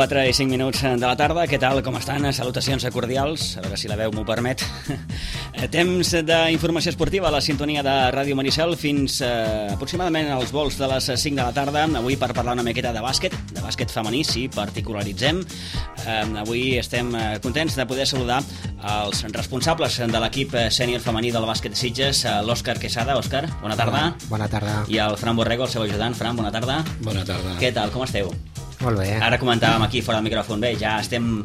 4 i 5 minuts de la tarda. Què tal, com estan? Salutacions cordials, a veure si la veu m'ho permet. Temps d'informació esportiva a la sintonia de Ràdio Maricel fins aproximadament als vols de les 5 de la tarda. Avui per parlar una miqueta de bàsquet femení, sí, particularitzem. Avui estem contents de poder saludar els responsables de l'equip sènior femení del bàsquet de Sitges, l'Òscar Quesada. Òscar, bona tarda. Bona tarda. I el Fran Borrego, el seu ajudant. Fran, bona tarda. Bona tarda. Què tal, com esteu? Molt bé. Ara comentàvem aquí fora del micròfon, bé, ja estem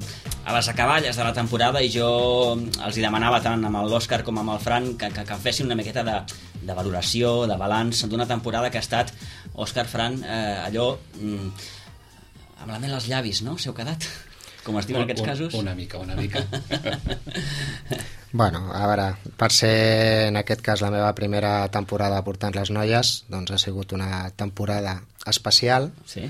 a les acaballes de la temporada i jo els hi demanava tant amb l'Òscar com amb el Fran que fessin una miqueta de valoració, de balanç d'una temporada que ha estat, Òscar, Fran, allò amb la mel als llavis, no? S'heu quedat? Com es diu en aquests casos? Una mica. Bueno, a veure, per ser en aquest cas la meva primera temporada portant les noies, doncs ha sigut una temporada especial, sí,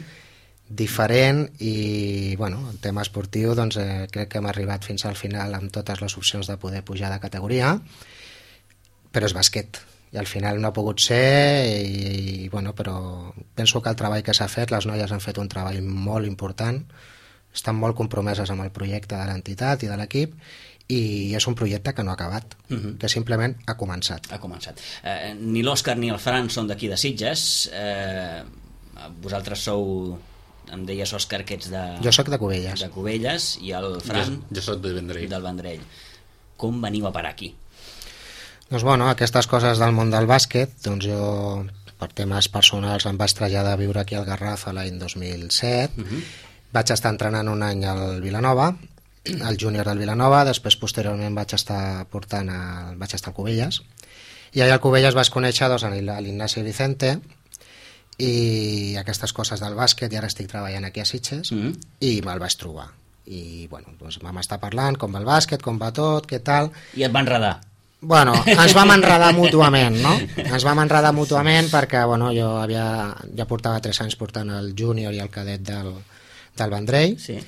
diferent i, bueno, el tema esportiu, doncs crec que hem arribat fins al final amb totes les opcions de poder pujar de categoria, però és bàsquet i al final no ha pogut ser i bueno, però penso que el treball que s'ha fet, les noies han fet un treball molt important, estan molt compromeses amb el projecte de l'entitat i de l'equip i és un projecte que no ha acabat, que simplement ha començat. Ha començat. Ni l'Òscar ni el Fran són d'aquí de Sitges, vosaltres sou, em deies, Òscar, que ets de... Jo sóc de Cubelles. De Cubelles, i el Fran... Jo sóc del Vendrell. Del Vendrell. Com veniu a parar aquí? Doncs bueno, aquestes coses del món del bàsquet, doncs jo, per temes personals, em vaig traslladar a viure aquí al Garraf l'any 2007, vaig estar entrenant un any al Vilanova, al júnior del Vilanova, després posteriorment vaig estar al Cubelles, i allà al Cubelles vaig conèixer doncs, l'Ignasi Vicente, i aquestes coses del bàsquet, i ara estic treballant aquí a Sitges, i me'l vaig trobar. I bueno, doncs vam estar parlant com va el bàsquet, com va tot, què tal... I et va enredar? Bueno, ens vam enredar mútuament, no? Ens vam enredar mútuament perquè, bueno, jo ja portava 3 anys portant el júnior i el cadet del Vendrell, sí,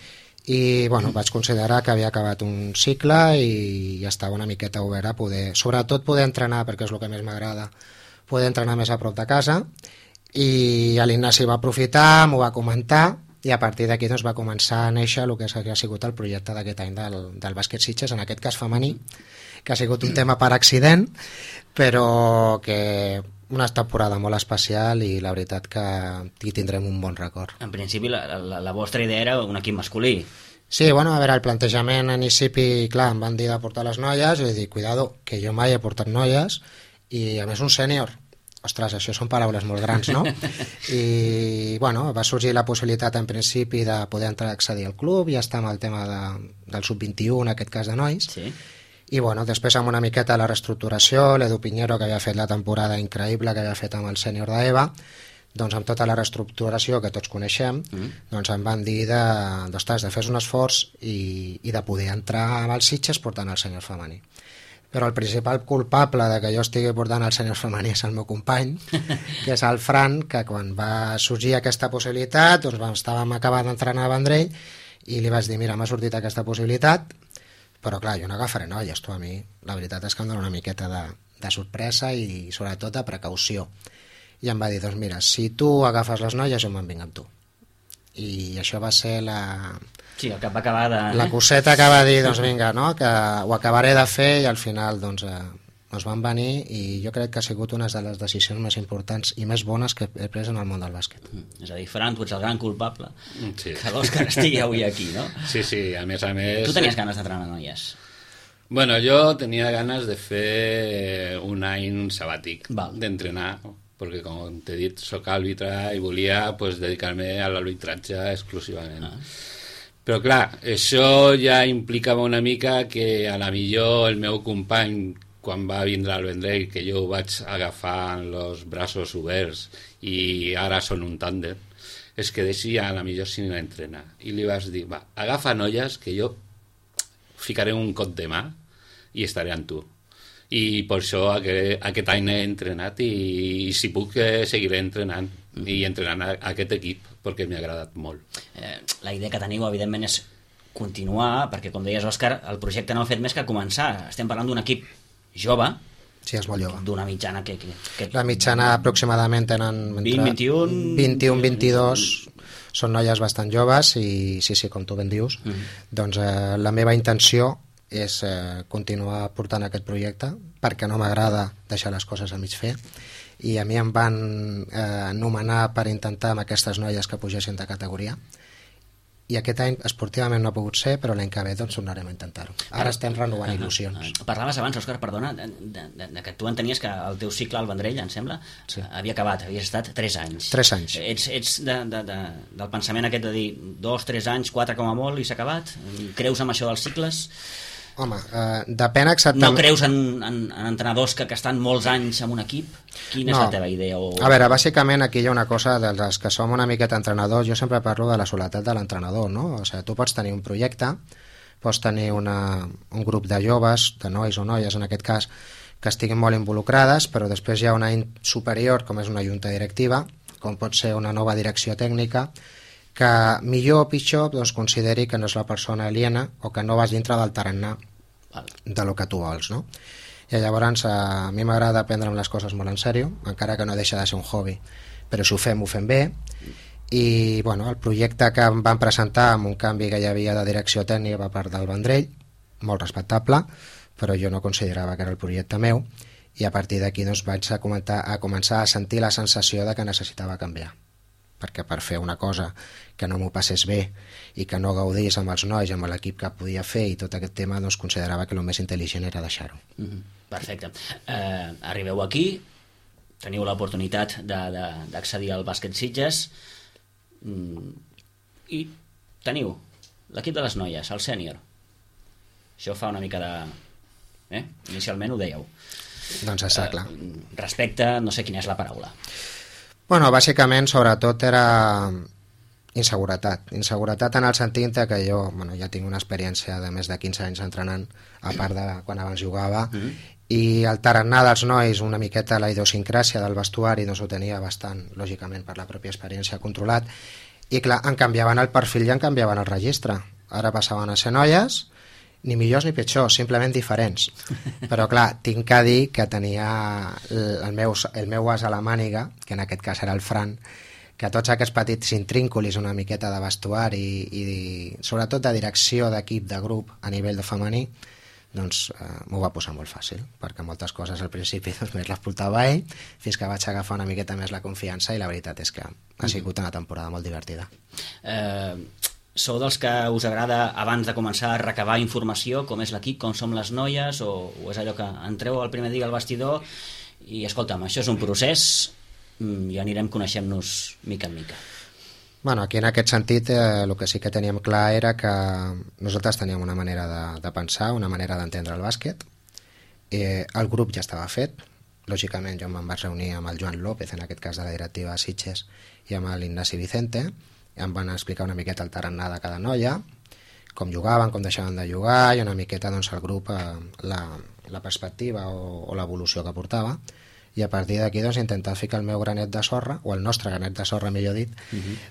i bueno, vaig considerar que havia acabat un cicle i estava una miqueta obert a poder, sobretot poder entrenar, perquè és el que més m'agrada, poder entrenar més a prop de casa, i l'Ignasi va aprofitar, m'ho va comentar, i a partir d'aquí doncs, va començar a néixer el que ha sigut el projecte d'aquest any del bàsquet Sitges, en aquest cas femení, que ha sigut un tema per accident, però que una temporada molt especial i la veritat que hi tindrem un bon record. En principi la vostra idea era un equip masculí. Sí, bueno, a veure, el plantejament a inici, clar, em van dir de portar les noies i dic, cuidado, que jo mai he portat noies i a més un sènior. Ostres, això són paraules molt grans, no? I, bueno, va sorgir la possibilitat en principi de poder entrar a accedir al club i estar amb el tema del sub-21, en aquest cas de nois. Sí. I, bueno, després amb una miqueta la reestructuració, l'Edu Piñero, que havia fet la temporada increïble que havia fet amb el sènior d'EVA, doncs amb tota la reestructuració que tots coneixem, doncs em van dir de fer un esforç i de poder entrar amb els Sitges portant el sènior femení. Però el principal culpable de que jo estigui portant el sènior femení és el meu company, que és el Fran, que quan va sorgir aquesta possibilitat, doncs estàvem acabant d'entrenar a Vendrell i li vaig dir, mira, m'ha sortit aquesta possibilitat, però clar, jo no agafaré noies, tu, a mi la veritat és que em dona una miqueta de sorpresa i sobretot de precaució. I em va dir, doncs mira, si tu agafes les noies jo me'n vinc amb tu. I això va ser Sí, el que va acabar de... la coseta que va dir, doncs vinga, no? Que ho acabaré de fer i al final doncs van venir i jo crec que ha sigut una de les decisions més importants i més bones que he pres en el món del bàsquet. És a dir, Fran, tu ets el gran culpable Sí. que l'Òscar estigui avui aquí, no? Sí, a més... Tu tenies ganes d'entrenar noies? Bueno, jo tenia ganes de fer un any sabàtic, d'entrenar, perquè com t'he dit, soc àrbitre i volia pues, dedicar-me a l'arbitratge exclusivament. Però clar, això ja implicava una mica que a la millor el meu company, quan va vindre al Vendrell, que jo ho vaig agafar amb els braços oberts i ara són un tàndem, es quedessi a la millor sin entrenar. I li vaig dir, va, agafa noies que jo ficaré un cop de mà i estaré amb tu. I per això aquest any he entrenat i si puc seguiré entrenant i entrenant aquest equip perquè m'ha agradat molt. La idea que teniu evidentment és continuar, perquè com deies, Òscar, el projecte no ha fet més que començar. Estem parlant d'un equip jove, Sí, és molt jove. D'una mitjana que... La mitjana aproximadament tenen... 20, 21... 21, 22... Són noies bastant joves i sí, com tu ben dius, doncs la meva intenció és continuar portant aquest projecte perquè no m'agrada deixar les coses a mig fer, i a mi em van nomenar per intentar amb aquestes noies que pugessin de categoria, i aquest any esportivament no ha pogut ser, però l'any que ve doncs tornarem a intentar-ho. Ara estem renovant il·lusions. Parlaves abans, Òscar, perdona, que tu entenies que el teu cicle al Vendrell, em sembla, havia acabat, havies estat 3 anys. 3 anys. Ets del pensament aquest de dir 2, 3 anys, 4 com a molt i s'ha acabat? Creus en això dels cicles? Home, depèn exactament... No creus en entrenadors que estan molts anys en un equip? Quina és la teva idea? A veure, bàsicament aquí hi ha una cosa dels que som una miqueta entrenadors. Jo sempre parlo de la soledat de l'entrenador, no? O sigui, tu pots tenir un projecte, pots tenir un grup de joves, de nois o noies en aquest cas, que estiguin molt involucrades, però després hi ha una superior, com és una junta directiva, com pot ser una nova direcció tècnica, que millor o pitjor doncs, consideri que no és la persona aliena o que no vas dintre del tarannà de lo que tu vols, no? I llavors a mi m'agrada prendre'm les coses molt en sèrio, encara que no deixa de ser un hobby, però si ho fem bé, i bueno, el projecte que em van presentar amb un canvi que hi havia de direcció tècnica per part del Vendrell, molt respectable, però jo no considerava que era el projecte meu, i a partir d'aquí doncs, vaig a començar a sentir la sensació de que necessitava canviar, perquè per fer una cosa que no m'ho passés bé i que no gaudís amb els nois, amb l'equip que podia fer i tot aquest tema, doncs considerava que el més intel·ligent era deixar-ho. Perfecte. Arribeu aquí, teniu l'oportunitat d'accedir al bàsquet Sitges i teniu l'equip de les noies, el sènior. Això fa una mica de... Inicialment ho dèieu. Doncs està clar. Respecte, no sé quina és la paraula. Bueno, bàsicament, sobretot, era inseguretat. Inseguretat en el sentit que jo ja tinc una experiència de més de 15 anys entrenant, a part de quan abans jugava, i el tarannà dels nois, una miqueta la idiosincràsia del vestuari, doncs ho tenia bastant, lògicament, per la pròpia experiència controlat, i clar, en canviaven el perfil i en canviaven el registre. Ara passaven a ser noies, ni millors ni pitjors, simplement diferents. Però clar, tinc que dir que tenia el meu as a la màniga, que en aquest cas era el Fran, que tots aquests petits intrínculis, una miqueta de vestuari i sobretot de direcció d'equip, de grup a nivell de femení, doncs m'ho va posar molt fàcil, perquè moltes coses al principi doncs, més les portava ell, fins que vaig agafar una miqueta més la confiança, i la veritat és que ha sigut una temporada molt divertida. Sou dels que us agrada, abans de començar, a recabar informació, com és l'equip, com som les noies, o és allò que entreu el primer dia al vestidor i, escolta'm, això és un procés i anirem coneixent-nos mica en mica? Bueno, aquí en aquest sentit el que sí que teníem clar era que nosaltres teníem una manera de pensar, una manera d'entendre el bàsquet. El grup ja estava fet, lògicament jo me'n vaig reunir amb el Joan López, en aquest cas de la directiva de Sitges, i amb l'Ignasi Vicente. Em van explicar una miqueta el tarannà de cada noia, com jugaven, com deixaven de jugar, i una miqueta doncs, el grup, la perspectiva o l'evolució que portava, i a partir d'aquí doncs, intentar ficar el meu granet de sorra, o el nostre granet de sorra, millor dit,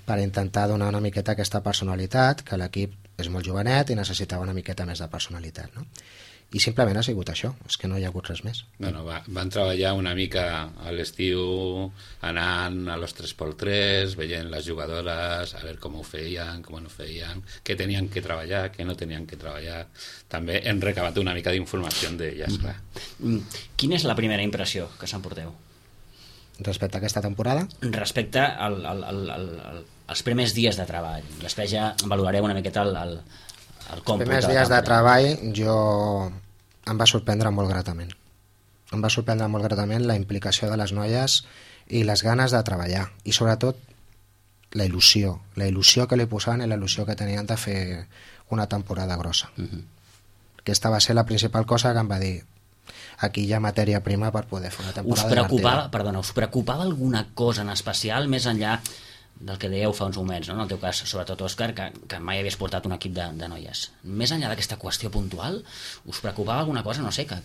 per intentar donar una miqueta aquesta personalitat, que l'equip és molt jovenet i necessitava una miqueta més de personalitat, no? I simplement ha sigut això, és que no hi ha hagut res més. Bueno, van treballar una mica a l'estiu, anant a los 3x3, veient les jugadores, a veure com ho feien, com no feien, què tenien que treballar, què no tenien que treballar. També hem recabat una mica d'informació d'elles, clar. Quina és la primera impressió que s'emporteu? Respecte a aquesta temporada? Respecte als primers dies de treball. Després ja valorareu una miqueta el còmput. Els primers dies de treball em va sorprendre molt gratament. Em va sorprendre molt gratament la implicació de les noies i les ganes de treballar, i sobretot la il·lusió que li posaven i la il·lusió que tenien de fer una temporada grossa. Aquesta va ser la principal cosa que em va dir: aquí hi ha matèria prima per poder fer una temporada divertida. Us preocupava alguna cosa en especial, més enllà del que dèieu fa uns moments, no? En el teu cas, sobretot, Òscar, que mai havies portat un equip de noies. Més enllà d'aquesta qüestió puntual, us preocupava alguna cosa, no sé, que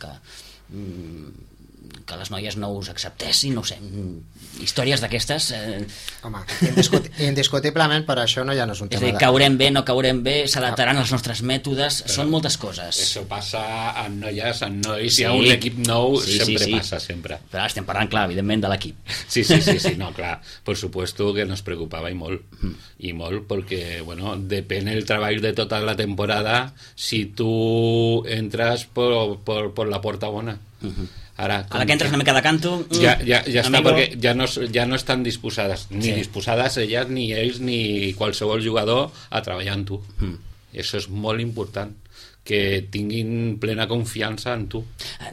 que les noies no us acceptessin, no ho sé, històries d'aquestes... Home, indiscutiblement, per això no ja no és un tema... És a dir, caurem bé, no caurem bé, s'adaptaran als nostres mètodes, són moltes coses. Això passa en noies, en nois, si hi ha un equip nou, sempre passa, sempre. Però estem parlant, clar, evidentment, de l'equip. Sí, no, clar, por supuesto que nos preocupaba y molt, porque, bueno, depende el trabajo de toda la temporada si tú entras por la puerta bona. Ara que entres una mica de canto... Ja està, perquè ja no estan disposades, ni disposades elles, ni ells, ni qualsevol jugador a treballar amb tu. I això és molt important, que tinguin plena confiança en tu.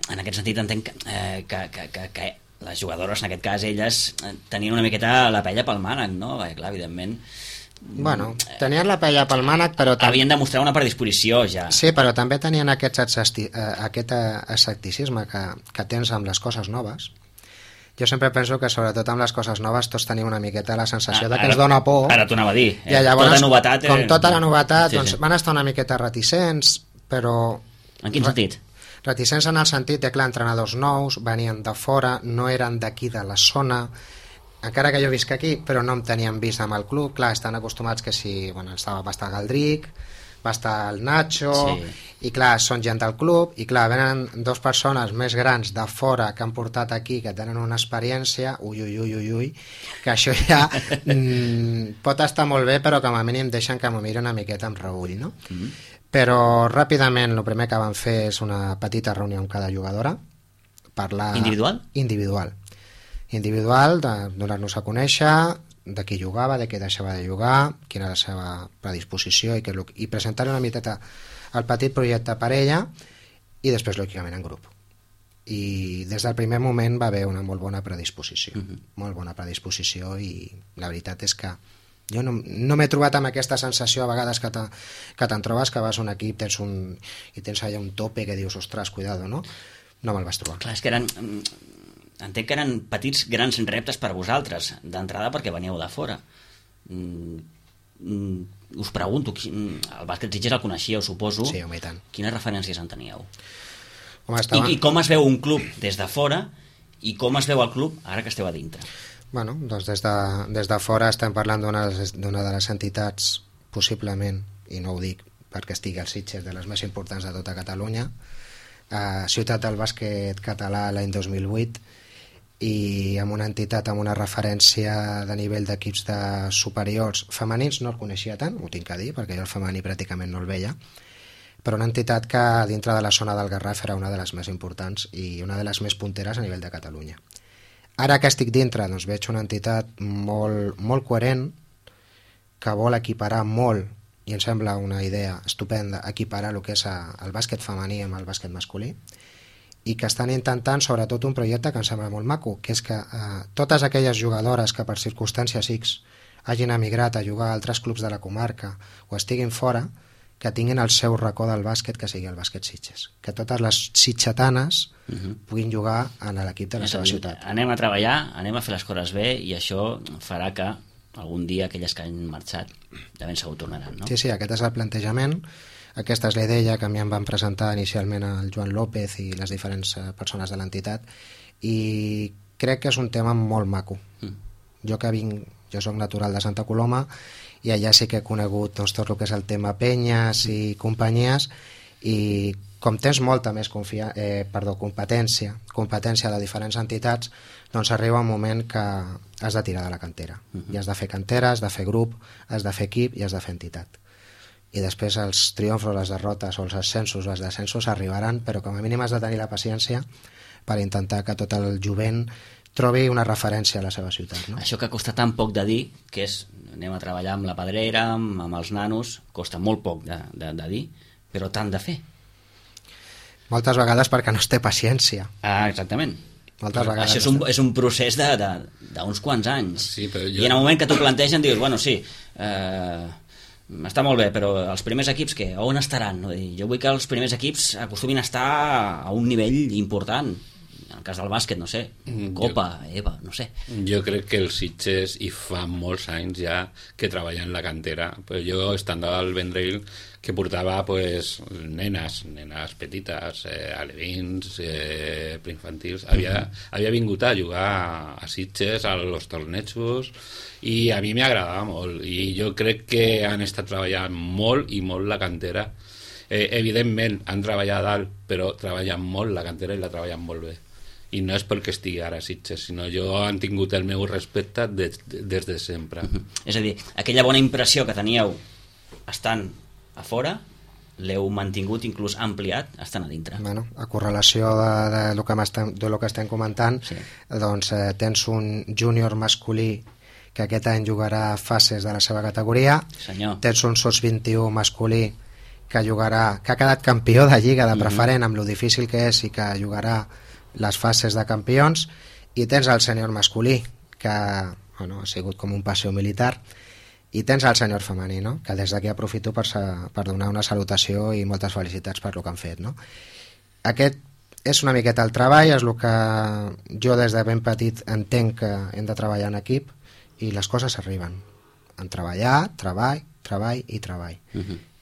En aquest sentit entenc que les jugadores, en aquest cas elles, tenien una miqueta la pella pel mànec, no? Perquè, clar, evidentment... Bueno, tenien la pella pel mànec, però... Havien de mostrar una predisposició, ja. Sí, però també tenien aquest escepticisme que tens amb les coses noves. Jo sempre penso que, sobretot amb les coses noves, tots tenim una miqueta la sensació de que ens dona por. Ara t'ho anava a dir. I llavors, tota novetat... Com tota la novetat, doncs van estar una miqueta reticents, però... En quin sentit? Reticents en el sentit de, clar, entrenadors nous, venien de fora, no eren d'aquí de la zona... Encara que jo visc aquí, però no em tenien vist amb el club. Clar, estan acostumats que si... Bueno, va estar Galdric, va estar el Nacho, i clar, són gent del club, i clar, venen dues persones més grans de fora que han portat aquí, que tenen una experiència, ui, que això ja pot estar molt bé, però com a mínim deixen que m'ho miri una miqueta amb reull, no? Però ràpidament el primer que van fer és una petita reunió amb cada jugadora, parlar... Individual, donar-nos a conèixer de qui jugava, de què deixava de jugar, quina era la seva predisposició i presentar una miqueta el petit projecte per ella i després, lògicament, en grup. I des del primer moment va haver una molt bona predisposició, molt bona predisposició, i la veritat és que jo no m'he trobat amb aquesta sensació a vegades que te'n trobes que vas a un equip i tens allà un tope que dius, ostres, cuidado, no? No me'l vas trobar. Clar, és que entenc que eren petits grans reptes per vosaltres, d'entrada perquè veníeu de fora. Us pregunto, el bàsquet Sitges el coneixíeu, suposo. Sí, home, i tant. Quines referències en teníeu? Home, I com es veu un club des de fora i com es veu el club ara que esteu a dintre? Bueno, doncs des de fora estem parlant d'una de les entitats, possiblement, i no ho dic perquè estigui al Sitges, de les més importants de tota Catalunya, ciutat del bàsquet català l'any 2008, i amb una entitat amb una referència de nivell d'equips superiors femenins. No el coneixia tant, ho tinc a dir, perquè jo el femení pràcticament no el veia, però una entitat que dintre de la zona del Garraf era una de les més importants i una de les més punteres a nivell de Catalunya. Ara que estic dintre, doncs veig una entitat molt coherent, que vol equiparar molt, i em sembla una idea estupenda, equiparar el que és el bàsquet femení amb el bàsquet masculí, i que estan intentant sobretot un projecte que em sembla molt maco, que és que totes aquelles jugadores que per circumstàncies X hagin emigrat a jugar a altres clubs de la comarca o estiguin fora, que tinguin el seu racó del bàsquet, que sigui el bàsquet Sitges, que totes les sitgetanes puguin jugar en l'equip de la seva ciutat. Anem a treballar, anem a fer les coses bé, i això farà que algun dia aquelles que han marxat de ben segur tornaran, no? Sí, aquest és el plantejament. Aquesta és la idea que a mi em van presentar inicialment el Joan López i les diferents persones de l'entitat, i crec que és un tema molt maco. Jo soc natural de Santa Coloma i allà sí que he conegut tot el que és el tema penyes i companyies, i com tens molta més competència de diferents entitats, doncs arriba un moment que has de tirar de la cantera. I has de fer cantera, has de fer grup, has de fer equip i has de fer entitat. I després els triomfos, les derrotes o els ascensos o els descensos arribaran, però com a mínim has de tenir la paciència per intentar que tot el jovent trobi una referència a la seva ciutat, no? Això que costa tan poc de dir, que és anem a treballar amb la pedrera, amb els nanos, costa molt poc de dir, però tant de fer. Moltes vegades perquè no es té paciència. Exactament. Moltes vegades. Això és un procés d'uns quants anys. Sí, però I en el moment que t'ho plantegen dius, bueno, sí, està molt bé, però els primers equips on estaran? Jo vull que els primers equips acostumin a estar a un nivell important. En el cas del bàsquet, no sé, Copa, EVA, no sé. Jo crec que els Sitges hi fa molts anys ja que treballen la cantera. Pues jo, estant al Vendrell, que portava pues, nenes petites, alevins, preinfantils, havia vingut a jugar a Sitges, a los tornejos, i a mi m'agradava molt. I jo crec que han estat treballant molt i molt la cantera. Evidentment han treballat dalt, però treballen molt la cantera i la treballen molt bé, i no és perquè estigui ara a Sitges, sinó jo han tingut el meu respecte des de sempre. És a dir, aquella bona impressió que teníeu estant a fora l'heu mantingut, inclús ampliat estant a dintre. Bueno, a correlació de lo que estem comentant, sí. Doncs tens un júnior masculí que aquest any jugarà fases de la seva categoria. Senyor. Tens un SOS-21 masculí que ha quedat campió de Lliga de Preferent, amb lo difícil que és, i que jugarà les fases de campions, i tens el sènior masculí, que bueno, ha sigut com un passeig militar, i tens el sènior femení, no? Que des d'aquí aprofito per donar una salutació i moltes felicitats per lo que han fet, no? Aquest és una miqueta el treball, és el que jo des de ben petit entenc que hem de treballar en equip, i les coses arriben en treballar, treball i treball.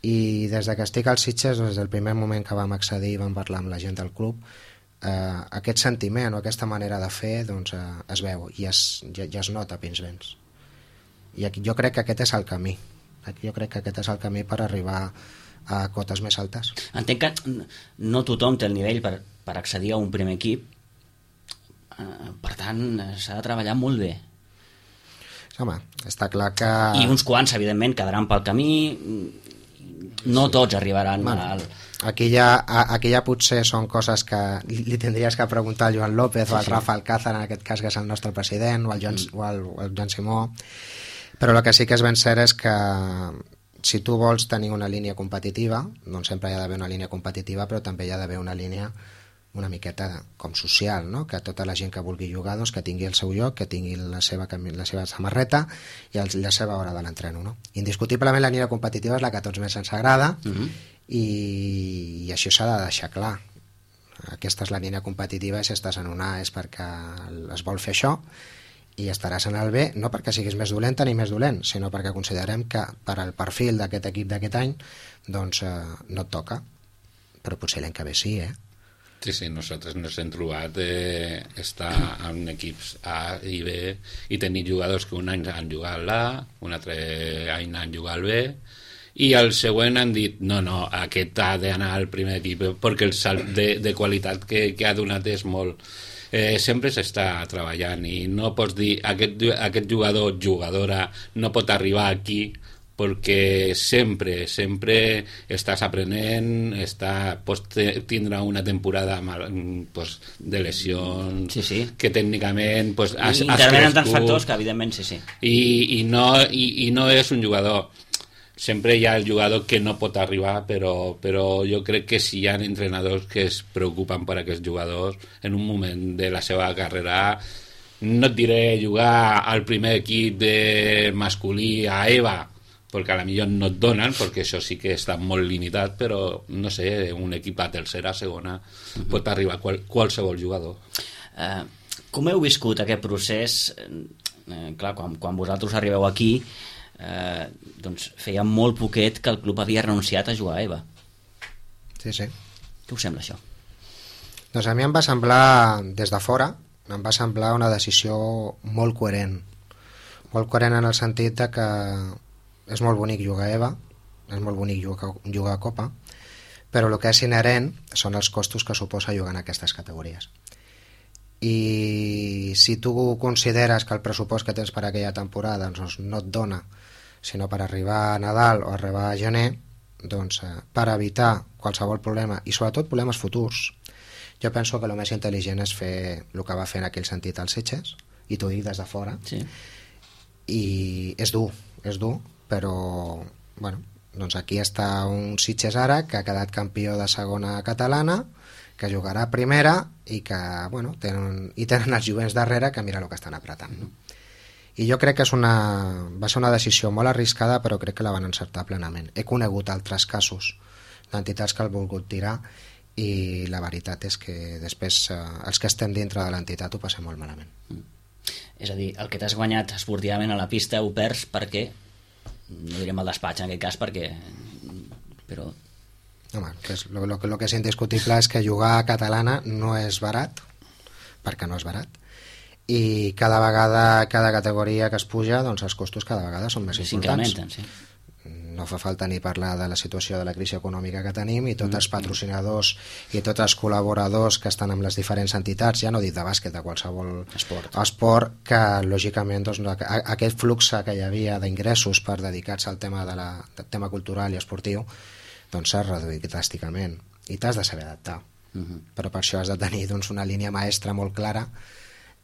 I des de que estic als Sitges, des del primer moment que vam accedir i vam parlar amb la gent del club, aquest sentiment o aquesta manera de fer doncs, es veu i ja es nota a pins vents. I jo crec que aquest és el camí. Jo crec que aquest és el camí per arribar a cotes més altes. Entenc que no tothom té el nivell per accedir a un primer equip, per tant s'ha de treballar molt bé. Home, està clar que... I uns quants, evidentment, quedaran pel camí, no tots arribaran al... Aquí ja potser són coses que li tindries que preguntar al Joan López o al Rafa Alcázar, en aquest cas, que és el nostre president, o al Joan Simó, però el que sí que és ben cert és que si tu vols tenir una línia competitiva, doncs sempre hi ha d'haver una línia competitiva, però també hi ha d'haver una línia una miqueta com social, no? Que tota la gent que vulgui jugar doncs, que tingui el seu lloc, que tingui la seva samarreta i la seva hora de l'entreno, no? Indiscutiblement la línia competitiva és la que a tots més ens agrada, i això s'ha de deixar clar. Aquesta és la línia competitiva, i si estàs en una és perquè es vol fer això, i estaràs en el B, no perquè siguis més dolenta ni més dolent, sinó perquè considerem que per al perfil d'aquest equip d'aquest any doncs no et toca, però potser l'any que ve sí, Sí, nosaltres ens hem trobat estar en equips A i B i tenir jugadors que un any han jugat l'A, un altre any han jugat el B, i el següent han dit no, aquest ha d'anar al primer equip perquè el salt de qualitat que ha donat és molt. Sempre s'està treballant i no pots dir aquest jugadora no pot arribar aquí, perquè sempre estàs aprenent, pots tindre una temporada de lesions, sí. Que tècnicament has intervenen tants factors que evidentment sí. I no és un jugador. Sempre hi ha el jugador que no pot arribar, però jo crec que si hi ha entrenadors que es preocupen per aquests jugadors en un moment de la seva carrera, no et diré jugar al primer equip de masculí a EVA, perquè a la millor no et donen, perquè això sí que està molt limitat, però no sé, un equip a tercera, segona, pot arribar qualsevol jugador. Com heu viscut aquest procés? Clar, quan vosaltres arribeu aquí, doncs feia molt poquet que el club havia renunciat a jugar a EVA. Sí. Què us sembla això? Doncs a mi em va semblar, des de fora, em va semblar una decisió molt coherent en el sentit de que és molt bonic jugar a EVA, és molt bonic jugar a Copa, però el que és inherent són els costos que suposa jugar en aquestes categories. I si tu consideres que el pressupost que tens per aquella temporada doncs, no et dona, sinó per arribar a Nadal o arribar a gener, doncs per evitar qualsevol problema, i sobretot problemes futurs, jo penso que el més intel·ligent és fer el que va fer en aquell sentit als Sitges, i t'ho dic des de fora, sí. I és dur, però bueno, doncs aquí està un Sitges ara que ha quedat campió de segona catalana, que jugarà a primera i que bueno, tenen els jovents darrere que mira el que estan apretant, no? I jo crec que va ser una decisió molt arriscada, però crec que la van encertar plenament. He conegut altres casos d'entitats que han volgut tirar i la veritat és que després els que estem dintre de l'entitat ho passem molt malament. És a dir, el que t'has guanyat esportivament a la pista ho perds perquè, no direm el despatx en aquest cas, perquè... però... Home, el que és indiscutible és que jugar a catalana no és barat, perquè no és barat, i cada vegada, cada categoria que es puja, doncs els costos cada vegada són més importants. S'incrementen, sí. No fa falta ni parlar de la situació de la crisi econòmica que tenim i tots els patrocinadors i tots els col·laboradors que estan amb les diferents entitats, ja no dic de bàsquet, de qualsevol esport, que lògicament doncs, aquest flux que hi havia d'ingressos per dedicar-se al tema, del tema cultural i esportiu doncs s'ha reduït dràsticament i t'has de saber adaptar. Però per això has de tenir doncs, una línia maestra molt clara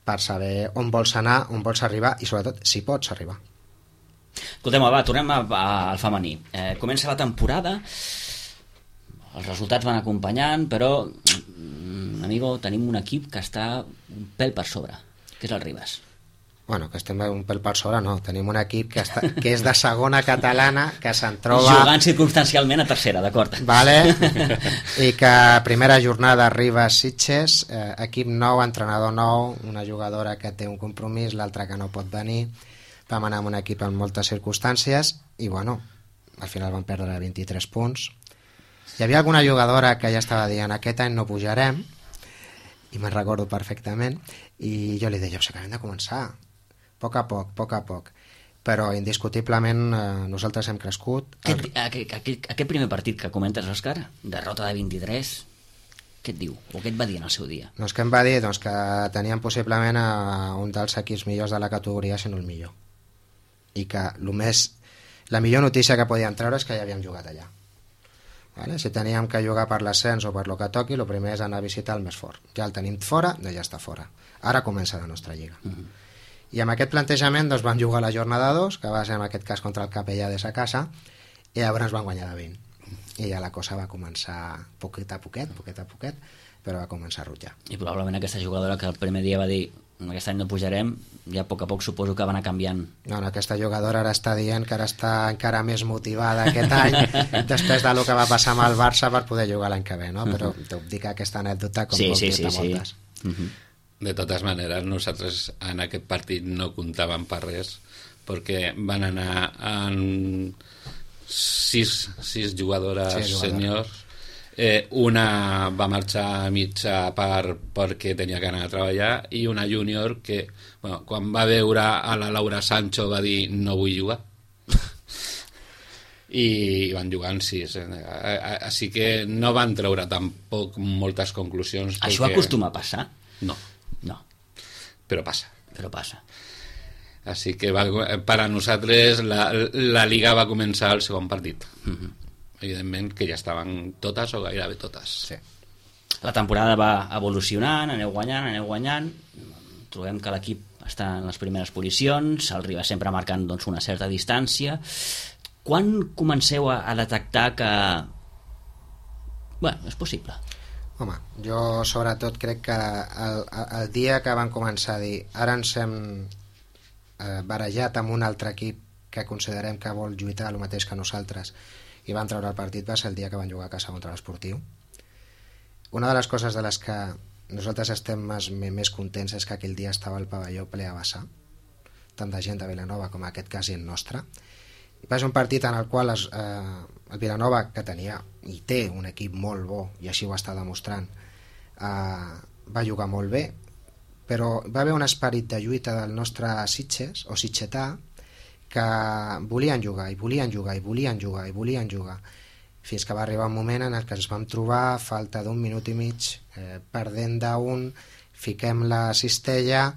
per saber on vols anar, on vols arribar i sobretot si pots arribar. Escoltem, va, tornem al femení. Comença la temporada, els resultats van acompanyant, però, amigo, tenim un equip que està un pèl per sobre, que és el Ribes. Bueno, que estem un pèl per sobre, no. Tenim un equip que és de segona catalana, que se'n troba... Jugant circumstancialment a tercera, d'acord. Vale. I que primera jornada Ribes Sitges, equip nou, entrenador nou, una jugadora que té un compromís, l'altra que no pot venir. Vam anar amb un equip en moltes circumstàncies i, bueno, al final vam perdre 23 punts. Hi havia alguna jugadora que ja estava dient aquest any no pujarem, i me'n recordo perfectament, i jo li deia, acabem de començar, a poc a poc. Però indiscutiblement nosaltres hem crescut. Aquest primer partit que comentes, Òscar, derrota de 23, què et diu? O què et va dir en el seu dia? Doncs què em va dir? Doncs que teníem possiblement un dels equips millors de la categoria, si no el millor. I que la millor notícia que podíem treure és que ja havíem jugat allà. Vale? Si teníem que jugar per l'ascens o per lo que toqui, el primer és anar a visitar el més fort. Ja el tenim fora, ja està fora. Ara comença la nostra lliga. I amb aquest plantejament doncs, vam jugar la jornada 2, que va ser en aquest cas contra el Capellà des a casa, i llavors van guanyar de 20. I ja la cosa va començar poquet a poquet, però va començar a rutllar. I probablement aquesta jugadora que el primer dia va dir aquest any no pujarem, ja a poc suposo que va anar canviant. No, aquesta jugadora ara està dient que ara està encara més motivada aquest any després del que va passar amb el Barça per poder jugar l'any que ve, no? Però t'ho dic aquesta anècdota com puc dir-te moltes. De totes maneres, nosaltres en aquest partit no comptàvem per res perquè van anar en sis jugadores sèniors. Una va marxar a mitja part perquè tenia que anar a treballar i una júnior que quan va veure a la Laura Sancho va dir no vull jugar i van jugar en 6 així que no van treure tampoc moltes conclusions. Això acostuma a passar? No, però passa. Així que per a nosaltres la Liga va començar el segon partit. Evidentment que ja estaven totes o gairebé totes. Sí. La temporada va evolucionant, aneu guanyant, trobem que l'equip està en les primeres posicions, el Ribes sempre marcant doncs, una certa distància. Quan comenceu a detectar que és possible? Home, jo sobretot crec que el dia que van començar a dir ara ens hem barejat amb un altre equip que considerem que vol lluitar el mateix que nosaltres i van treure el partit va ser el dia que van jugar a casa contra l'Esportiu. Una de les coses de les que nosaltres estem més contents és que aquell dia estava el pavelló ple a vessar, tant de gent de Vilanova com en aquest cas gent nostra. I va ser un partit en el qual el Vilanova, que tenia i té un equip molt bo i així ho està demostrant, va jugar molt bé, però va haver un esperit de lluita del nostre Sitges o sitgetà que volien jugar fins que va arribar un moment en el que ens vam trobar falta d'un minut i mig perdent d'un, fiquem la cistella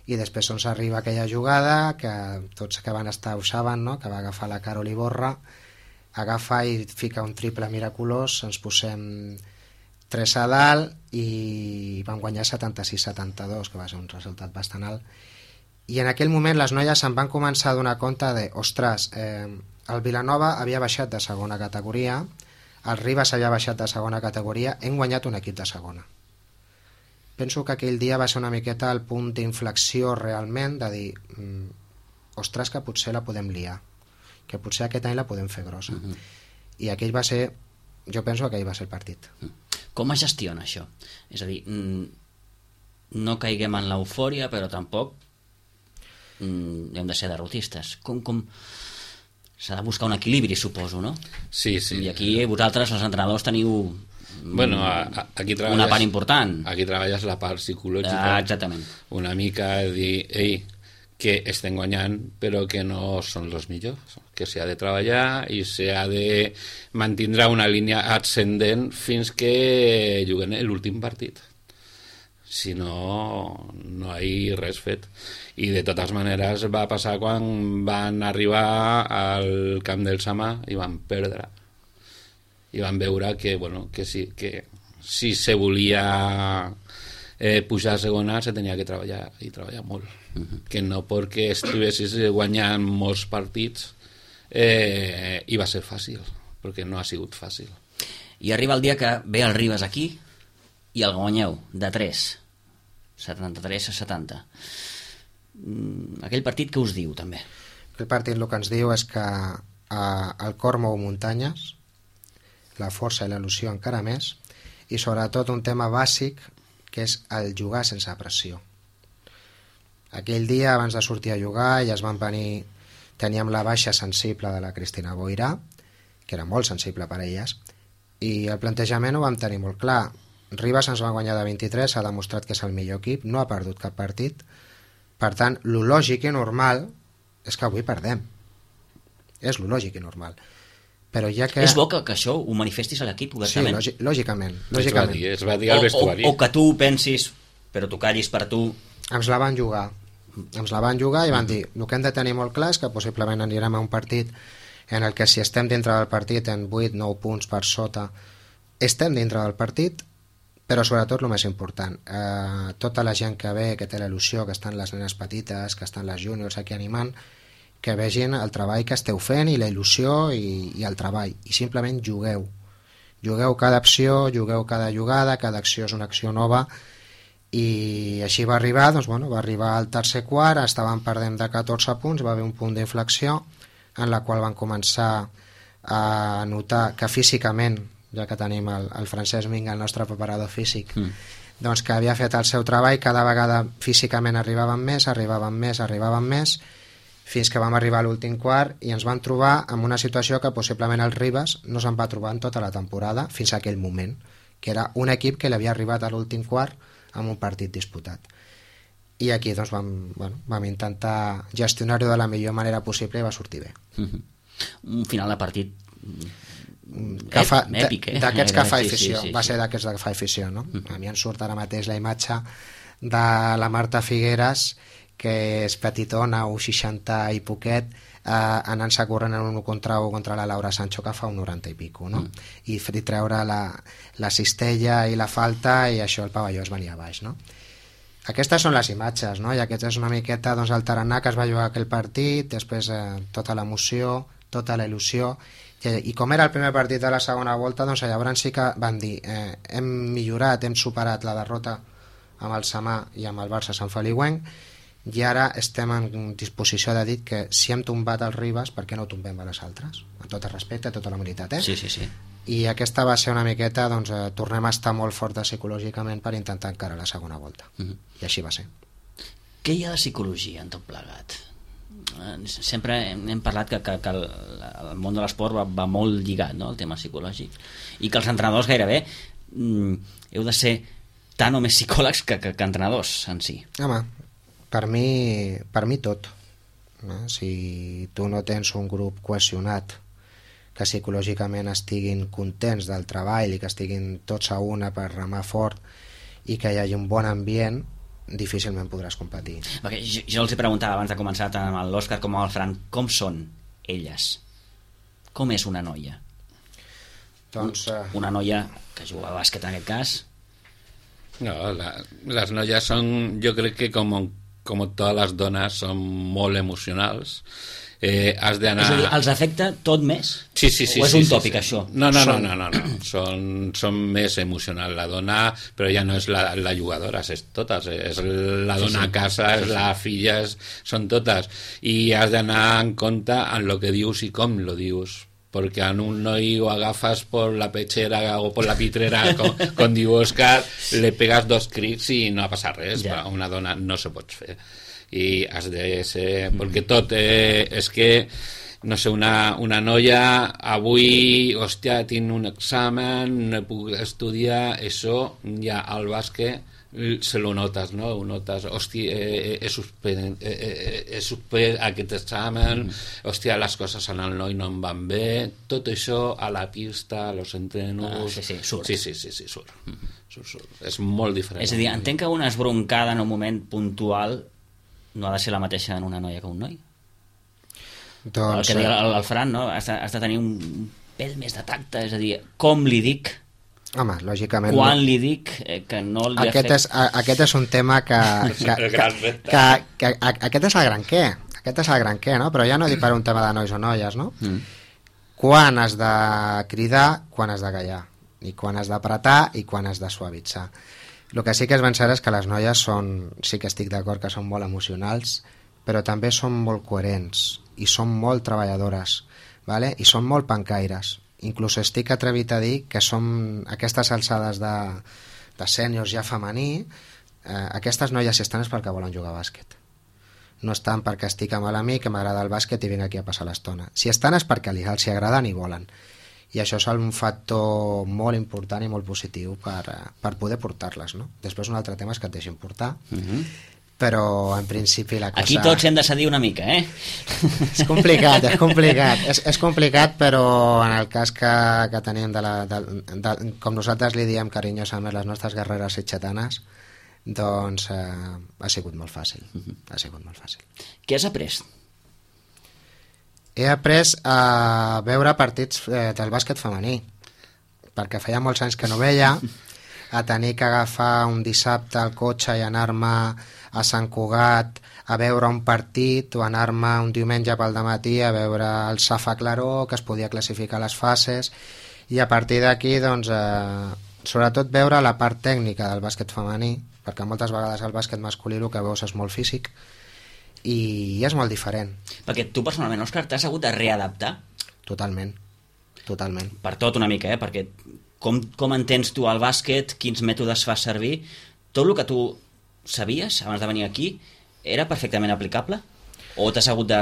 i després ens arriba aquella jugada que tots que van estar ho saben, no? Que va agafar la Carol Iborra, agafa i fica un triple miraculós, ens posem 3 a dalt i vam guanyar 76-72, que va ser un resultat bastant alt. I en aquell moment les noies se'n van començar a donar compte de, ostres, el Vilanova havia baixat de segona categoria, el Ribes havia baixat de segona categoria, hem guanyat un equip de segona. Penso que aquell dia va ser una miqueta el punt d'inflexió realment de dir, ostres, que potser la podem liar, que potser aquest any la podem fer grossa. I aquell va ser, jo penso que aquell va ser el partit. Com es gestiona això? És a dir, no caiguem en l'eufòria, però tampoc hem de ser derrotistes. Com s'ha de buscar un equilibri, suposo, no? Sí, sí. I aquí vosaltres, els entrenadors, teniu aquí una part important. Aquí treballes la part psicològica. Exactament. Una mica de dir, ei, que estem guanyant però que no són els millors, que s'ha de treballar i s'ha de mantindre una línia ascendent fins que juguen l'últim partit, si no no hi ha res fet. I de totes maneres va passar quan van arribar al camp del Samà i van perdre i van veure que, bueno, que si se volia pujar a segona se tenia que treballar i treballar molt, que no perquè estiguessis guanyant molts partits i va ser fàcil, perquè no ha sigut fàcil. I arriba el dia que ve el Ribes aquí i el guanyeu de 3, 73-70. Aquell partit què us diu, també? Aquell partit el que ens diu és que el cor mou muntanyes, la força i l'il·lusió encara més, i sobretot un tema bàsic que és el jugar sense pressió. Aquell dia, abans de sortir a jugar, ja es van venir... Teníem la baixa sensible de la Cristina Boirà, que era molt sensible per a elles, i el plantejament ho vam tenir molt clar. Ribas ens va guanyar de 23, s'ha demostrat que és el millor equip, no ha perdut cap partit. Per tant, lo lògic i normal és que avui perdem. És lo lògic i normal. Però ja que... És bo que això ho manifestis a l'equip obertament. Sí, lògicament. Es va dir al vestuari. O que tu pensis, però tu callis per tu. Ens la van jugar. I van dir, el que hem de tenir molt clar és que possiblement anirem a un partit en el que si estem dintre del partit en 8-9 punts per sota, estem dintre del partit, però sobretot el més important, tota la gent que ve, que té l'il·lusió, que estan les nenes petites, que estan les júniors aquí animant, que vegin el treball que esteu fent i la il·lusió i el treball, i simplement jugueu cada acció, jugueu cada jugada, cada acció és una acció nova, i així va arribar, doncs, bueno, va arribar al tercer quart, estàvem perdent de 14 punts, va haver un punt d'inflexió en la qual van començar a notar que físicament, ja que tenim el Francesc Minga, el nostre preparador físic, doncs que havia fet el seu treball, cada vegada físicament arribaven més, fins que vam arribar a l'últim quart i ens vam trobar en una situació que possiblement el Ribas no se'n va trobar en tota la temporada fins a aquell moment, que era un equip que l'havia arribat a l'últim quart amb un partit disputat. I aquí doncs, vam intentar gestionar-ho de la millor manera possible i va sortir bé. Un final de partit èpic, d'aquests que fa afició, sí. Va ser d'aquests que fa afició, no? A mi em surt ara mateix la imatge de la Marta Figueres, que és petitona, 1,60 i poquet, anant-se corrent en un contra la Laura Sancho, que fa un 90 i pico, no? I treure la cistella i la falta, i això el pavelló es venia a baix, no? Aquestes són les imatges, no? I aquest és una miqueta, doncs, el tarannà que es va jugar aquell partit, després tota l'emoció, tota la il·lusió, i com era el primer partit de la segona volta, doncs llavors sí que van dir hem millorat, hem superat la derrota amb el Samà i amb el Barça Sant Feliuenc, i ara estem en disposició de dir que si hem tombat els Ribas, per què no tombem a les altres? Amb tot el respecte, tota la humilitat, Sí. I aquesta va ser una miqueta, doncs, tornem a estar molt fortes psicològicament per intentar encara la segona volta. I així va ser. Què hi ha de psicologia en tot plegat? Sempre hem parlat que el món de l'esport va molt lligat, no?, al tema psicològic, i que els entrenadors gairebé heu de ser tant o més psicòlegs que entrenadors en si. Home, per mi tot, no? Si tu no tens un grup cohesionat, que psicològicament estiguin contents del treball i que estiguin tots a una per remar fort i que hi hagi un bon ambient, difícilment podràs competir. Perquè jo els he preguntat abans de començar, tant amb l'Òscar com amb el Fran, com són elles? Com és una noia? Doncs, una noia que juga a bàsquet, en aquest cas. No, les noies són, jo crec que com totes les dones, són molt emocionals. Has d'anar... És a dir, els afecta tot més? Sí. O és un tòpic, això? No. Són més emocionals. La dona, però ja no és la jugadora, és totes. És la dona a casa, és la filla, són totes. I has d'anar en compte en el que dius i com lo dius, porque a un noi ho agafas por la pechera o por la pitrera, com diu Òscar, le pegas 2 crits i no ha passat res. A una dona no se pot fer. I has de ser... Perquè tot és que, no sé, una noia, avui, hòstia, tinc un examen, no puc estudiar, això ja al bàsquet se lo notes, no? Ho notes, hòstia, he suspès aquest examen, hòstia, les coses en el noi no em van bé, tot això a la pista, a los entrenos... surt. Sí, surt. És molt diferent. És a dir, entenc que una esbroncada en un moment puntual no ha de ser la mateixa en una noia que un noi. Doncs... El que deia el Fran, no? Has de tenir un pèl més de tacte, és a dir, com li dic, home, lògicament... quan li dic que no li aquest és un tema que aquest és el gran què. Aquest és el gran què, no? Però ja no dic per un tema de nois o noies, no? Quan has de cridar, quan has de callar. I quan has d'apretar i quan has de suavitzar. El que sí que és ben cert és que les noies sí que estic d'acord que són molt emocionals, però també són molt coherents i són molt treballadores, ¿vale? I són molt pancaires. Inclús estic atrevit a dir que som aquestes alçades de sèniors ja femení, aquestes noies si estan és perquè volen jugar a bàsquet. No estan perquè estic amb l'amic que m'agrada el bàsquet i vinc aquí a passar l'estona. Si estan és perquè els agraden i volen. I això és un factor molt important i molt positiu per poder portar-les, no? Després un altre tema és que et deixin portar, però en principi la cosa... Aquí tots hem de cedir una mica, eh? És complicat, és complicat, però en el cas que tenim com nosaltres li diem carinyosament les nostres guerreres sitgetanes, doncs ha sigut molt fàcil. Ha sigut molt fàcil. Què has après? He après a veure partits del bàsquet femení, perquè feia molts anys que no veia, a tenir que agafar un dissabte el cotxe i anar-me a Sant Cugat a veure un partit, o anar-me un diumenge pel dematí a veure el Safa Claró, que es podia classificar les fases, i a partir d'aquí, doncs, sobretot veure la part tècnica del bàsquet femení, perquè moltes vegades el bàsquet masculí el que veus és molt físic, i és molt diferent. Perquè tu personalment, Òscar, t'has hagut de readaptar? Totalment. Per tot una mica, perquè com entens tu el bàsquet, quins mètodes fas servir, tot el que tu sabies abans de venir aquí era perfectament aplicable? O t'has hagut de,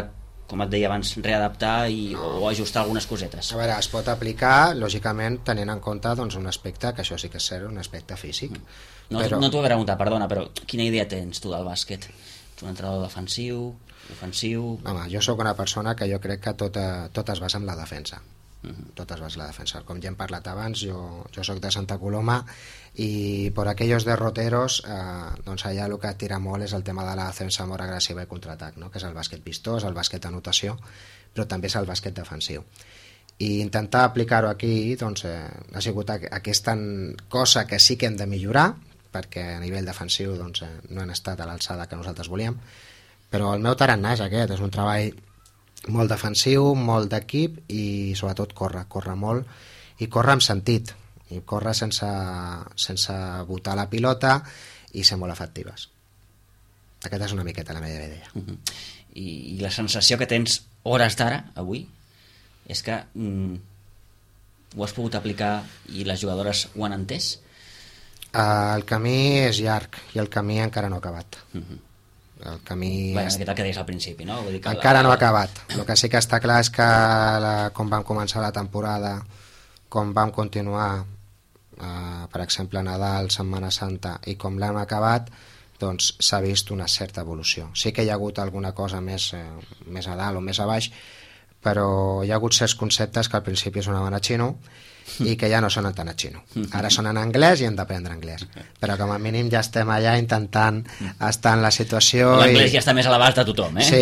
com et deia abans, readaptar o ajustar algunes cosetes? A veure, es pot aplicar, lògicament, tenint en compte doncs, un aspecte, que això sí que és cert, un aspecte físic. No t'ho he preguntat, perdona, però quina idea tens tu del bàsquet? Ets un entrenador defensiu, ofensiu... Home, jo sóc una persona que jo crec que tot es basa en la defensa. Tot es basa en la defensa. Com ja hem parlat abans, jo soc de Santa Coloma i per aquells derroteros doncs allà el que tira molt és el tema de la defensa molt agressiva i contraatac, no? Que és el bàsquet vistós, el bàsquet d'anotació, però també és el bàsquet defensiu. I intentar aplicar-ho aquí doncs, ha sigut aquesta cosa que sí que hem de millorar, perquè a nivell defensiu doncs, no han estat a l'alçada que nosaltres volíem, però el meu tarannà és aquest, és un treball molt defensiu, molt d'equip i sobretot córrer molt i córrer amb sentit, i córrer sense botar la pilota i ser molt efectives. Aquesta és una miqueta la meva idea. I la sensació que tens hores d'ara, avui, és que ho has pogut aplicar i les jugadores ho han entès? El camí és llarg i el camí encara no ha acabat. El camí... Aquest el que deies al principi, no? Vull dir que encara no ha acabat. El que sí que està clar és que com vam començar la temporada, com vam continuar, per exemple, Nadal, Setmana Santa, i com l'hem acabat, doncs s'ha vist una certa evolució. Sí que hi ha hagut alguna cosa més a dalt o més a baix, però hi ha hagut certs conceptes que al principi sonaven a xino i que ja no sonen tan a xino. Ara sonen en anglès i hem d'aprendre anglès. Però com a mínim ja estem allà intentant estar en la situació... L'anglès ja està més a l'abast de tothom, eh? Sí.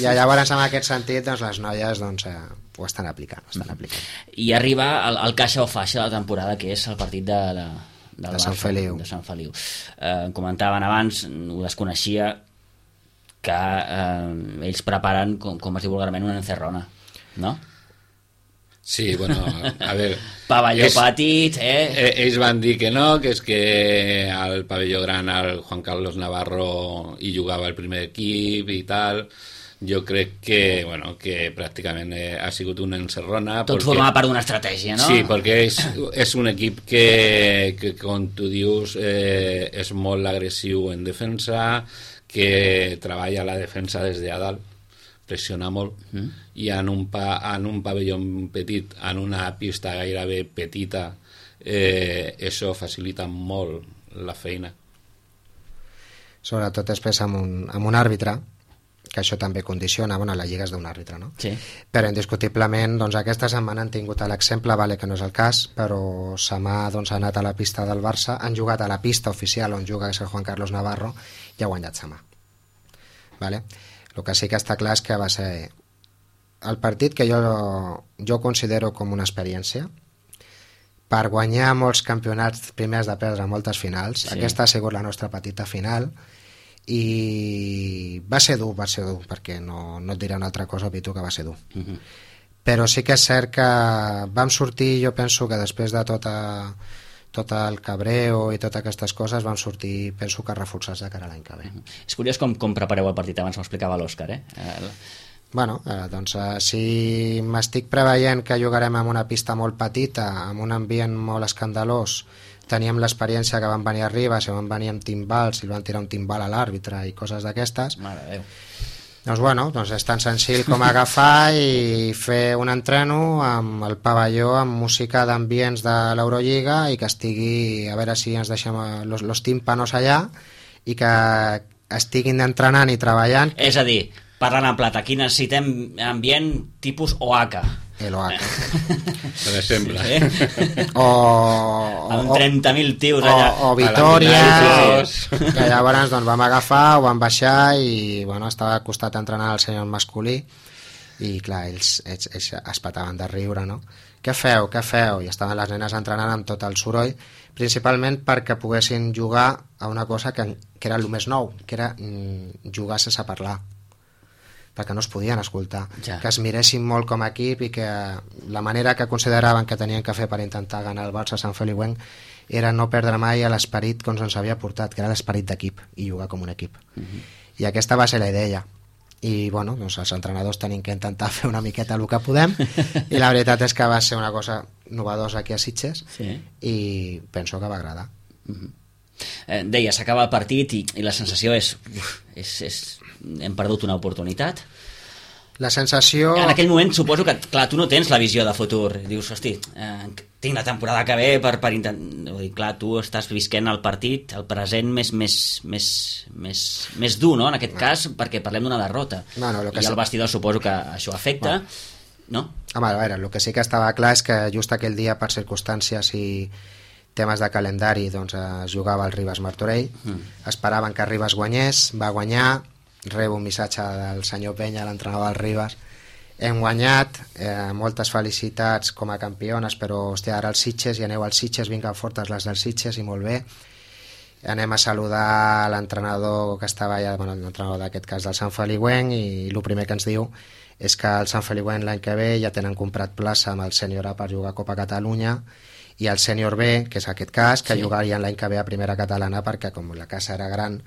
I llavors, en aquest sentit, doncs, les noies ho estan aplicant. I arriba el caixa o faixa de la temporada, que és el partit de Sant Feliu. De Sant Feliu. Comentaven abans, ho desconeixia, que ells preparen, com es diu vulgarment, una encerrona, no? Sí, bueno, a veure... Pavelló petit, Ells van dir que no, que és que al pavelló gran el Juan Carlos Navarro hi jugava el primer equip i tal, jo crec que pràcticament ha sigut una encerrona. Tot forma part d'una estratègia, no? Sí, perquè és un equip que com tu dius, és molt agressiu en defensa, que treballa la defensa des de a dalt, pressiona molt, i en un pavelló petit, en una pista gairebé petita, això facilita molt la feina. Sobretot després amb un àrbitre, que això també condiciona, la lliga és d'un àrbitre, no? Sí. Però indiscutiblement aquesta setmana han tingut l'exemple, que no és el cas, però Samà ha anat a la pista del Barça, han jugat a la pista oficial on juga, que és el Juan Carlos Navarro, i ha guanyat Samà. El que sí que està clar és que va ser el partit que jo considero com una experiència per guanyar molts campionats primers de perdre moltes finals. Sí. Aquesta ha sigut la nostra petita final i va ser dur, perquè no et diré una altra cosa, Pitu, que va ser dur. Però sí que és cert que vam sortir, jo penso que després de tot el cabreo i totes aquestes coses vam sortir, penso que reforçats de cara a l'any que ve. És curiós com prepareu el partit, abans m'ho explicava l'Òscar, si m'estic preveient que jugarem en una pista molt petita, amb un ambient molt escandalós, teníem l'experiència que van venir a Ribes i van venir amb timbals i van tirar un timbal a l'àrbitre i coses d'aquestes. Mare de Déu. Doncs és tan senzill com agafar i fer un entreno amb el pavelló, amb música d'ambients de l'Eurolliga i que estigui, a veure si ens deixem los tímpanos allà i que estiguin entrenant i treballant. És a dir, parlant en plata, aquí necessitem ambient tipus OACA. El OACA. Per exemple. Sí? Amb 30.000 tios allà. O Vitòria, que llavors vam agafar, ho vam baixar i estava al costat entrenant el senyor masculí i clar, ells es petaven de riure, no? Què feu? I estaven les nenes entrenant amb tot el soroll, principalment perquè poguessin jugar a una cosa que era el més nou, que era jugar sense parlar, perquè no es podien escoltar, que es miressin molt com a equip i que la manera que consideraven que tenien que fer per intentar ganar el Barça a Sant Feliuenc era no perdre mai l'esperit que ens havia portat, que era l'esperit d'equip i jugar com un equip. I aquesta va ser la idea. I els entrenadors tenim que intentar fer una miqueta el que podem i la veritat és que va ser una cosa novedosa aquí a Sitges i penso que va agradar. Deia, s'acaba el partit i la sensació és hem perdut una oportunitat. La sensació... En aquell moment suposo que, clar, tu no tens la visió de futur. Dius, hosti, tinc la temporada que ve per intentar... Clar, tu estàs visquent el partit, el present més dur, no?, en aquest cas, perquè parlem d'una derrota. I el vestidor suposo que això afecta, no? Home, a veure, el que sí que estava clar és que just aquell dia, per circumstàncies i temes de calendari, es jugava el Ribes Martorell. Esperaven que Ribes guanyés, va guanyar. Rebo un missatge del senyor Penya, l'entrenador del Ribes. Hem guanyat, moltes felicitats com a campiones, però hòstia, ara els Sitges, i aneu als Sitges, vinguen fortes les dels Sitges, i molt bé. Anem a saludar l'entrenador que estava allà, l'entrenador d'aquest cas del Sant Feliuenc, i el primer que ens diu és que el Sant Feliuenc l'any que ve ja tenen comprat plaça amb el sènior A per jugar a Copa Catalunya, i el sènior B, que és aquest cas, que jugarien l'any que ve a primera catalana, perquè com la casa era gran,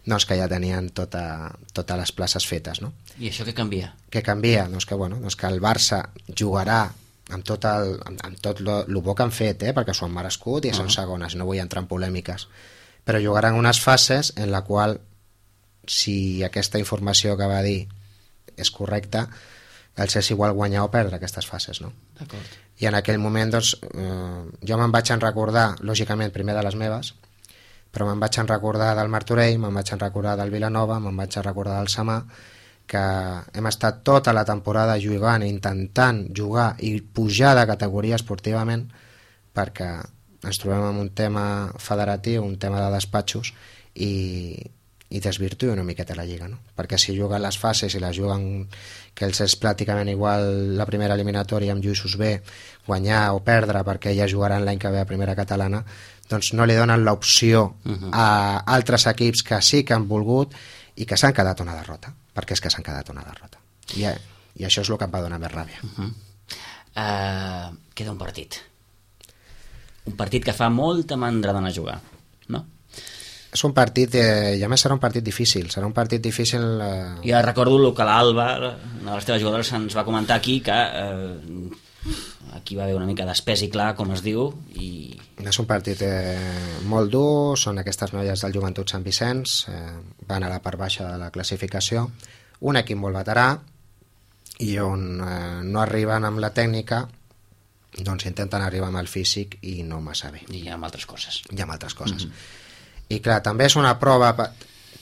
que ja tenien totes les places fetes, no? I això què canvia? Què canvia? Que el Barça jugarà amb tot el bo que han fet, perquè s'ho han merescut i són segones, no vull entrar en polèmiques, però jugaran unes fases en la qual, si aquesta informació que va dir és correcta, els és igual guanyar o perdre aquestes fases, no? D'acord. I en aquell moment, jo me'n vaig recordar, lògicament, primer de les meves, però me'n vaig recordar del Martorell, me'n vaig recordar del Vilanova, me'n vaig recordar del Samà, que hem estat tota la temporada jugant, intentant jugar i pujar de categoria esportivament, perquè ens trobem en un tema federatiu, un tema de despatxos, i desvirtui una miqueta la lliga, no? Perquè si juguen les fases i les juguen, que els és pràcticament igual la primera eliminatòria amb Lluïsos B, guanyar o perdre perquè ja jugaran l'any que ve a primera catalana, doncs no li donen l'opció a altres equips que sí que han volgut i que s'han quedat una derrota, perquè és que s'han quedat una derrota. I això és el que em va donar més ràbia. Queda un partit. Un partit que fa molta mandra d'anar a jugar, no? És un partit, i a més serà un partit difícil. Serà un partit difícil... Ja recordo que l'Alba, una de les teves jugadores, ens va comentar aquí que aquí va haver una mica d'espès i clar, com es diu, i... És un partit molt dur, són aquestes noies del Joventut Sant Vicenç, van a la part baixa de la classificació, un equip molt veterà, i on no arriben amb la tècnica, doncs intenten arribar amb el físic i no massa bé. I amb altres coses. I clar, també és una prova,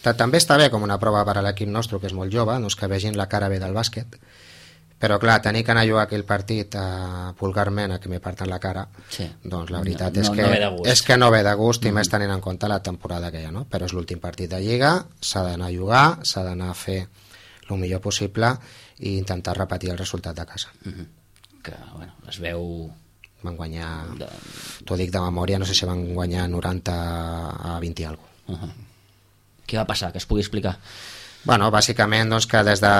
també està bé com una prova per a l'equip nostre, que és molt jove, doncs que vegin la cara bé del bàsquet, però clar, tenir que anar a jugar aquell partit vulgarment a que m'hi parten la cara, sí. Doncs la veritat és que no ve de gust, i més tenint en compte la temporada que hi ha, no? Però és l'últim partit de Lliga, s'ha d'anar a jugar, s'ha d'anar a fer el millor possible i intentar repetir el resultat de casa. Que, bueno, es veu... Van guanyar, t'ho dic de memòria, no sé si van guanyar 90 a 20 i alguna cosa. Què va passar? Que es pugui explicar? Bueno, bàsicament doncs, que des de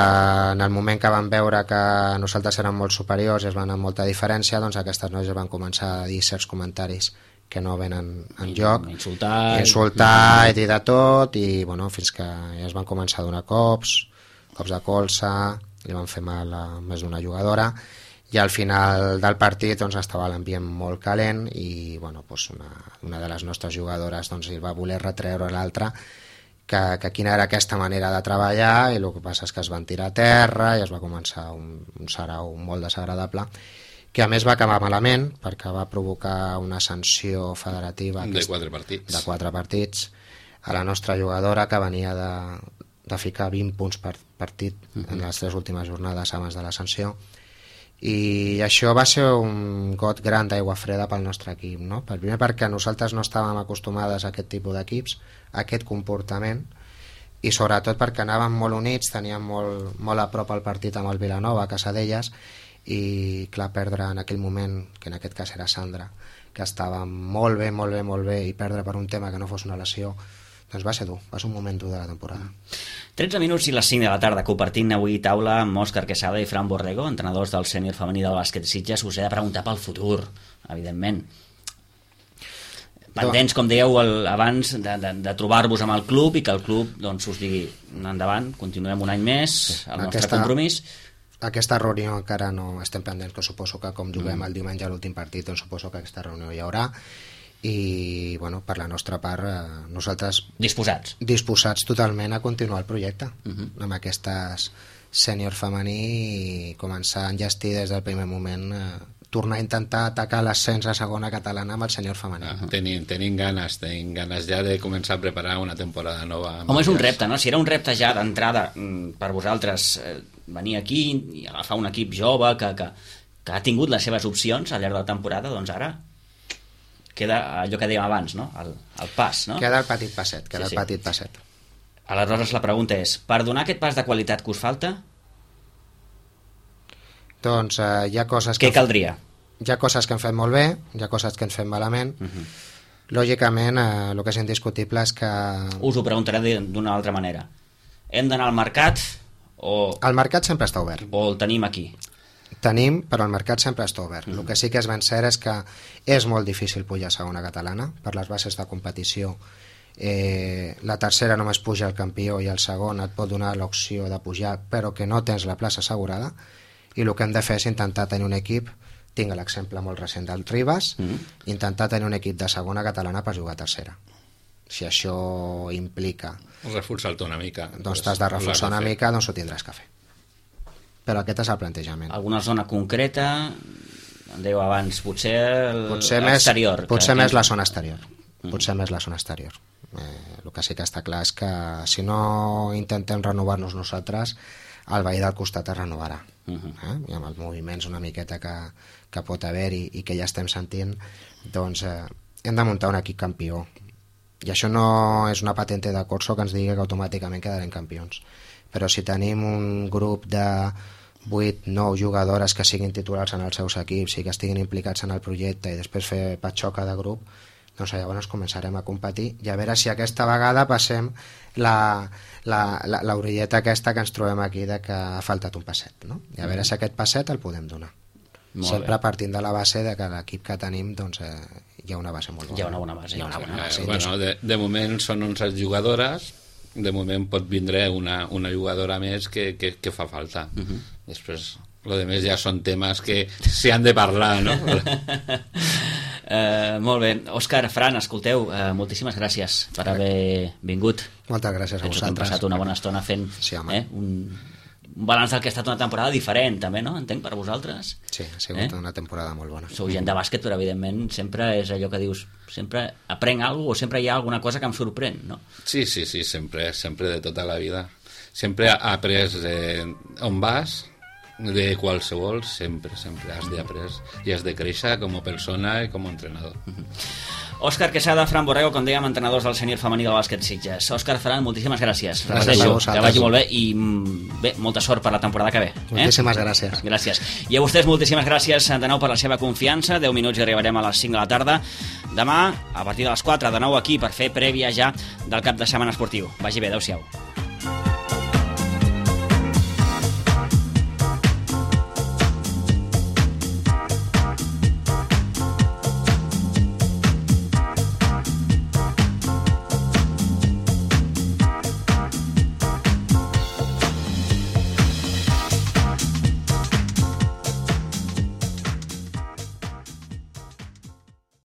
en el moment que van veure que nosaltres érem molt superiors i es van amb molta diferència, doncs aquestes noies van començar a dir certs comentaris que no venen en lloc, insultar i dir de tot, i bueno, fins que ja es van començar a donar cops de colze, li van fer mal a més d'una jugadora, i al final del partit doncs, estava l'ambient molt calent i bueno, doncs una de les nostres jugadores doncs, va voler retreure a l'altra que quina era aquesta manera de treballar, i el que passa és que es van tirar a terra i es va començar un sarau molt desagradable, que a més va acabar malament perquè va provocar una sanció federativa de 4 partits a la nostra jugadora, que venia de ficar 20 punts per partit en les 3 últimes jornades abans de la sanció. I això va ser un got gran d'aigua freda pel nostre equip, no? Primer perquè nosaltres no estàvem acostumades a aquest tipus d'equips, a aquest comportament, i sobretot perquè anàvem molt units, teníem molt a prop el partit amb el Vilanova a casa d'elles, i clar, perdre en aquell moment, que en aquest cas era Sandra, que estava molt bé, i perdre per un tema que no fos una lesió, doncs va ser dur, va ser un moment dur de la temporada. 13 minuts i les 5 de la tarda, compartint avui taula amb Òscar Quesada i Fran Borrego, entrenadors del sènior femení del bàsquet Sitges. Us he de preguntar pel futur, evidentment. Pendents, com dèieu abans, de trobar-vos amb el club i que el club doncs, us digui endavant, continuem un any més, el nostre compromís. Aquesta reunió encara no estem pendents, que suposo que com juguem el diumenge a l'últim partit, doncs suposo que aquesta reunió hi haurà. I bueno, per la nostra part nosaltres disposats totalment a continuar el projecte amb aquestes sènior femení i començar a enllestir des del primer moment, tornar a intentar atacar l'ascens a segona catalana amb el sènior femení. Tenim ganes ja de començar a preparar una temporada nova. Home, és un repte, no? Si era un repte ja d'entrada per vosaltres venir aquí i agafar un equip jove que ha tingut les seves opcions al llarg de la temporada, doncs ara queda allò que dèiem abans, no? El pas, no? Queda el petit passet, petit passet. Aleshores la pregunta és, per donar aquest pas de qualitat que us falta, doncs hi ha coses què caldria? Hi ha coses que hem fet molt bé, hi ha coses que hem fet malament. Lògicament, el que és indiscutible és que... Us ho preguntaré d'una altra manera. Hem d'anar al mercat o... El mercat sempre està obert. O el tenim aquí? Tenim, però el mercat sempre està obert. El que sí que és ben cert és que és molt difícil pujar a segona catalana per les bases de competició. La tercera només puja el campió i el segon et pot donar l'opció de pujar, però que no tens la plaça assegurada, i el que hem de fer és intentar tenir un equip, tinc l'exemple molt recent del Ribas, intentar tenir un equip de segona catalana per jugar a tercera. Si això implica reforçar-te una mica, doncs t'has de reforçar una mica, doncs ho tindràs que fer. Però aquest és el plantejament. Alguna zona concreta, em dèieu abans, potser l'exterior. Potser més la zona exterior. El que sí que està clar és que si no intentem renovar-nos nosaltres, el veí del costat es renovarà. I amb els moviments una miqueta que pot haver-hi i que ja estem sentint, doncs hem de muntar un equip campió. I això no és una patente de corso que ens digui que automàticament quedarem campions. Però si tenim un grup de 8-9 jugadores que siguin titulars en els seus equips i que estiguin implicats en el projecte i després fer patxoca de grup, doncs llavors començarem a competir i a veure si aquesta vegada passem l'orilleta aquesta que ens trobem aquí de que ha faltat un passet, no? I a veure si aquest passet el podem donar. Sempre partint de la base de que l'equip que tenim doncs, hi ha una base molt bona. Hi ha una bona base. Bueno, de moment són 11 jugadores, de moment pot vindre una jugadora més que fa falta. Després, lo de més ja són temes que s'hi han de parlar, no? Molt bé. Òscar, Fran, escolteu, moltíssimes gràcies per haver vingut. Moltes gràcies a vosaltres. Hem passat una bona estona fent un balanç del que ha estat una temporada diferent, també, no? Entenc, per vosaltres. Sí, ha sigut una temporada molt bona. Sou gent de bàsquet, però evidentment sempre és allò que dius, sempre aprenc alguna cosa o sempre hi ha alguna cosa que em sorprèn, no? Sí, sempre de tota la vida. Sempre ha après on vas, de qualsevol, sempre has d'aprendre i has de créixer com a persona i com a entrenador. Òscar Quesada, Fran Borrego, com dèiem, entrenadors del sènior femení del bàsquet Sitges. Òscar, Fran, moltíssimes gràcies. Gràcies a vosaltres. Que vagi molt bé i molta sort per la temporada que ve. Moltíssimes gràcies. Gràcies. I a vostès moltíssimes gràcies de nou per la seva confiança. 10 minuts i arribarem a les 5 de la tarda. Demà, a partir de les 4, de nou aquí per fer prèvia ja del cap de setmana esportiu. Vagi bé, adeu-siau.